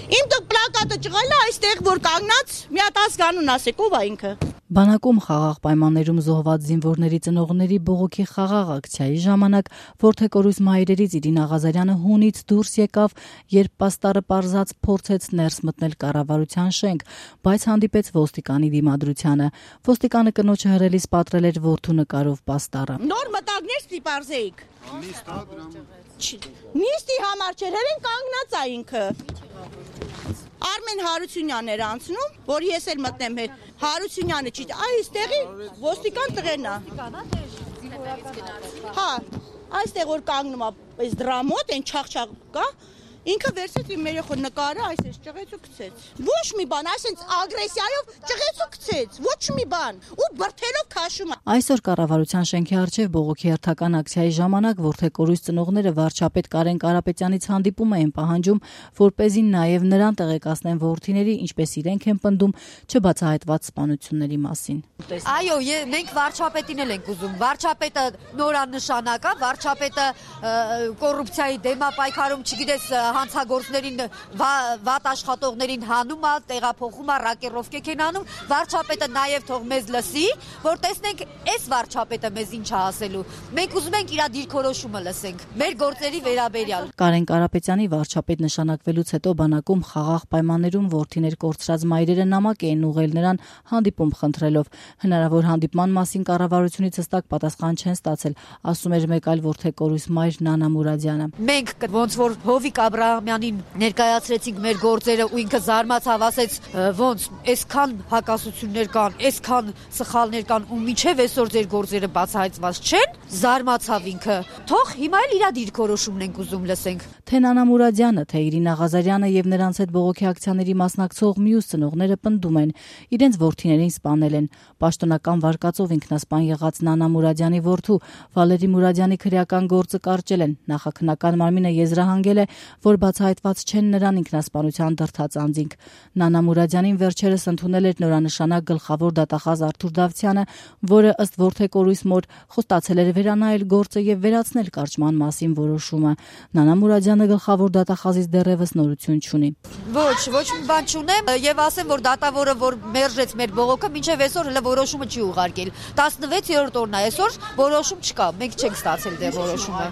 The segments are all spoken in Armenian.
Իմ դուք պլակատը ճղել է այստեղ որ կանգնած մի հատ ազգանուն ասեք ով է ինքը։ Բանակում խաղաղ պայմաններում զոհված զինվորների ծնողների բողոքի խաղաղ ակցիայի ժամանակ Որդեկորույս մայրերից Իրինա Ղազարյանը հունից դուրս եկավ, երբ պաստառը պարզած փորձեց ներս մտնել կառավարության շենք, բայց հանդիպեց ոստիկանի դիմադրությանը։ Ոստիկանը կնոջը հրելիս պատրել էր որդու նկարով պաստառը։ Նոր մտագներ ստիպարզեիք։ Նիստի համար չէր, հերեն կանգնած է ինքը։ Արմեն Հարությունյանն էր անցնում, որ ես էլ մտնեմ հետ։ Հարությունյանը չի, այստեղի ոստիկան տղերն է։ Հա, այստեղ որ կանգնում է, այս դրա մոտ այն չաղ կա, ինքը վերցրեց իմ երեխու նկարը, այսպես ճղեց ու գցեց։ Ոչ մի բան, այսպես ագրեսիայով ճղեց ու գցեց, ոչ մի բան, ու բրթելով քաշում է։ Այսօր կառավարության շենքի առջև բողոքի հերթական ակցիայի ժամանակ Որդեկորույս ծնողները վարչապետ Կարեն Կարապետյանից հանդիպում էին պահանջում, որպեսզի նաև նրան տեղեկացնեն որդիների, ինչպես իրենք են պնդում, չբացահայտված սպանությունների մասին։ Այո, մենք վարչապետին էլ ենք ուզում։ Վարչապետը նորանշանակ է, վարչապետը կոռուպցիայի դեմ է պայքարում, չգիտես հանցագործներին, վատ աշխատողներին հանում է, տեղափոխում է, ռակերովկեք են անում, վարչապետը նաև թող մեզ լսի, որ տեսնենք այս վարչապետը մեզ ինչ է ասելու։ Մենք ուզում ենք իր դիրքորոշումը լսենք, մեր գործերի վերաբերյալ։ Կարեն Կարապետյանի վարչապետ նշանակվելուց հետո բանակում խաղաղ պայմաններում որդիներ կորցրած մայրերը նամակ էին ուղղել նրան հանդիպում խնդրելով։ Հնարավոր հանդիպման մասին կառավարությունից հստակ պատասխան չեն ստացել, ասում էր մեկ այլ Որդեկորույս մայր Նանա Մուրադյանը։ Մենք ոնց որ Հովիկ Աբրահամյանին ներկայացրեցինք մեր գործերը ու ինքը զարմացավ, ասեց ոնց այսքան հակասություններ կան, այսքան սխալներ կան ու միջև այսօր ձեր գործերը բացահայտված չեն, զարմացավ ինքը։ Թող հիմա էլ իր դիրքորոշումն ենք ուզում լսենք։ Թե Նանա Մուրադյանը, թե Իրինա Ղազարյանը եւ նրանց հետ բողոքի ակցիաների մասնակցող մյուս ծնողները պնդում են, իրենց որդիներին սպանել են։ Պաշտոնական վարկածով ինքնասպան եղած Նանա Մուրադյանի որդու Վալերի Մուրադյանի քրեական գործը կարճել են։ Նախաքննական մարմինը եզրահանգել է, որ բացահայտված չեն նրան ինքնասպանության դրդած անձինք։ Նանա Մուրադյանին վերջերս ընդունել էր նորանշանակ գլխավոր դատախազ Արթուր Դավթյանը, որը ըստ Որդեկորույս մոր խոստացել էր վերանայել գործը եւ վերացնել կարճման մասին որոշումը։ Նանա Մուրադյանը գլխավոր դատախազից դեռևս նորություն չունի։ Ոչ մի բան չունեմ եւ ասեմ, որ դատավորը որ մերժեց մեր բողոքը, մինչեւ այսօր հələ որոշումը չի ուղարկել։ 16-րդ օրն է այսօր, որոշում չկա։ Մենք չենք ստացել դեռ որոշումը։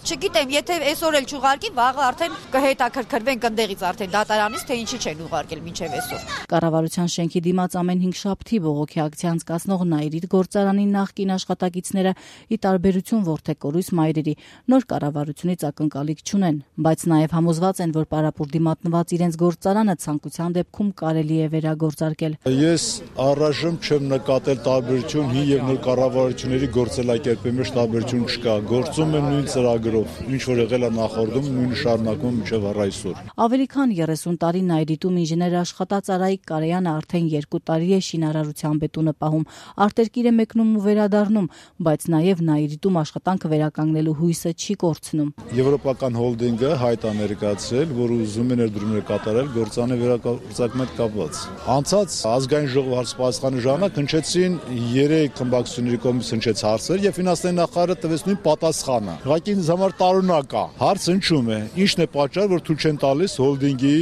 Չգիտեմ, եթե այսօր էլ չուղարկի, վաղը արդեն կհետաքրքրվենք ընդեղից արդեն դատարանից, թե ինչի չեն ուղարկել մինչև այսօր։ Կառավարության շենքի դիմաց ամեն 5 շաբթի բողոքի ակցիա անցկացնող Նայիրիտ գործարանի նախկին աշխատակիցները ի տարբերություն Որդեկորույս մայրերի նոր կառավարությունից ակնկալիք չունեն, բայց նաև համոզված են, որ պարապուրդի մատնված իրենց գործարանը ցանկության դեպքում կարելի է վերագործարկել։ Ես առայժմ չեմ նկատել տարբերություն հին եւ նոր կառավարությունների գործելակերպի մեջ տարբերություն չկա։ Գործում են նույն ծրագրով, ինչ որ եղել է նախորդում, նույնը շարունակում մինչև առայսօր։ Ավելի քան 30 տարի Նայիրիտում ինժեներ աշխատած Արայիկ Կարեյանը արդեն 2 տարի է շինարարության բետոնը պահում, արտերկիր է մեկնում ու վերադառնում, բայց նաև Նայիրիտում աշխատանքը վերականգնելու հույսը չի կորցնում։ Եվրոպական հոլդինգը հայտ է ներկայացրել, որ ուզում է ներդրումներ կատարել գործանի վերագործարկման հետ կապված։ Անցած ազգային ժողովի հարցպատասխանի ժամանակ հնչեցին 3 խմբակցությունների կողմից հնչեց հարցեր եւ ֆինանսների նախարարը տվեց նույն պատասխանը։ Ուղղակի ինձ համար տարօրինակ է։ Հարցը հնչում է. ինչն է պատճառը, որ թույլ չեն տալիս հոլդինգի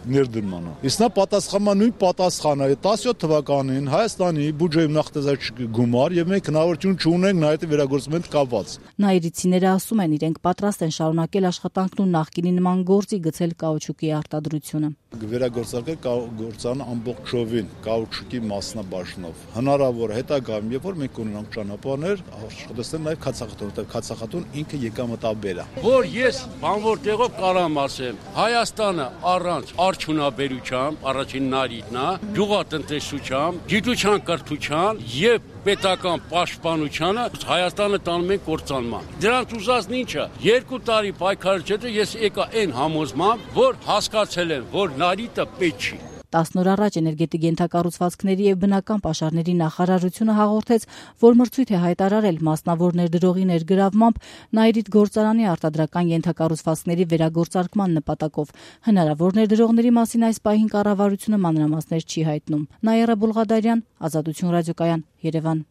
ներդրմանը։ Իսկ նա պատասխանում նույն պատասխանը 17 թվականին Հայաստանի բյուջեում նախատեսած գումար եւ մենք հնարավորություն չունենք նայեցի վերագործման հետ կապված։ Նայիրիցիները ասում են, իրենք պատրաստ են շարունակել աշխատանքն ու նախկինի նման գործի գցել կաուչուկի արտադրությունը։ Վերագործարկել գործարանը ամբողջովին կաուչուկի մասնաբաժնով։ Հնարավոր է հետագայում, երբ որ մենք ունենանք ճանապարհներ, աշխատել նաեւ քացախտուն, որտեղ քացախտուն ինքը եկամտաբեր է։ Որ ես բանվոր տեղով կարամ ասեմ, Հայաստանը առանց արդյունաբերության, առաջին նարիտն է, գյուղատնտեսության, գիտության կրթության եւ պետական պաշտպանությանը Հայաստանը տանում են կործանման։ Դրանց ուզածն ինչը 2 տարի պայքարից հետո ես եկա այն համոզմամբ, որ հասկացել եմ, որ նարիտը պետք չի։ 10 օր առաջ էներգետիկ ենթակառուցվածքների եւ բնական պաշարների նախարարությունը հաղորդեց, որ մրցույթ է հայտարարել մասնավոր ներդրողի ներգրավմամբ Նայիրիտ գործարանի արտադրական ենթակառուցվածքների վերագործարկման նպատակով։ Հնարավոր ներդրողների մասին այս պահին կառավարությունը մանրամասներ չի հայտնում։ Նաիրա Բուլղադարյան, Ազատություն ռադիոկայան, Երևան։